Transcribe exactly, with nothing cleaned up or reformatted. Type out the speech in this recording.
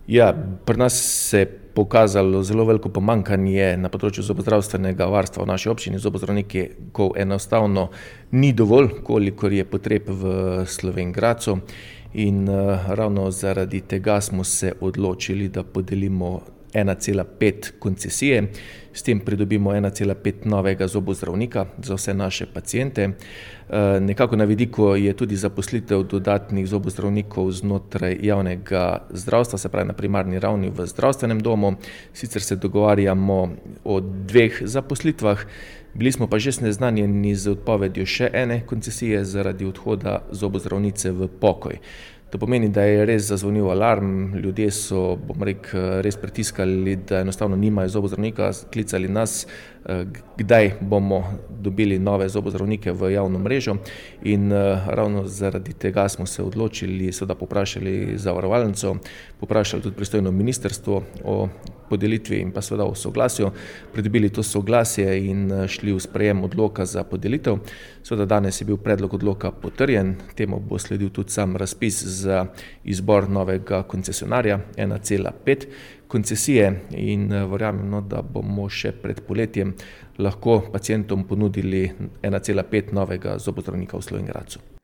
Ja, pri nas se je pokazalo zelo veliko pomanjkanje na področju zobozdravstvenega varstva v naši občini. Zobozdravnikov enostavno ni dovolj, kolikor je potreb v Slovenj Gradcu, in ravno zaradi tega smo se odločili, da podelimo ena cela pet koncesije. S tem pridobimo ena cela pet novega zobozdravnika za vse naše paciente. Nekako na vidiku je tudi zaposlitev dodatnih zobozdravnikov znotraj javnega zdravstva, se pravi na primarni ravni v zdravstvenem domu. Sicer se dogovarjamo o dveh zaposlitvah, bili smo pa že seznanjeni z odpovedjo še ene koncesije zaradi odhoda zobozdravnice v pokoj. To pomeni, da je res zazvonil alarm, ljudje so, bom rekel, res pritiskali, da enostavno nimajo zobozdravnika, klicali nas, kdaj bomo dobili nove zobozdravnike v javno mrežo, in ravno zaradi tega smo se odločili, seveda povprašali zavarovalnico, povprašali tudi pristojno ministrstvo o podelitvi in pa seveda o soglasju, pridobili to soglasje in šli v sprejem odloka za podelitev. Seveda danes je bil predlog odloka potrjen, temu bo sledil tudi sam razpis za izbor novega koncesionarja, ena cela pet koncesije, in verjamem, no, da bomo še pred poletjem lahko pacientom ponudili ena cela pet novega zobozdravnika v Slovenj Gradcu.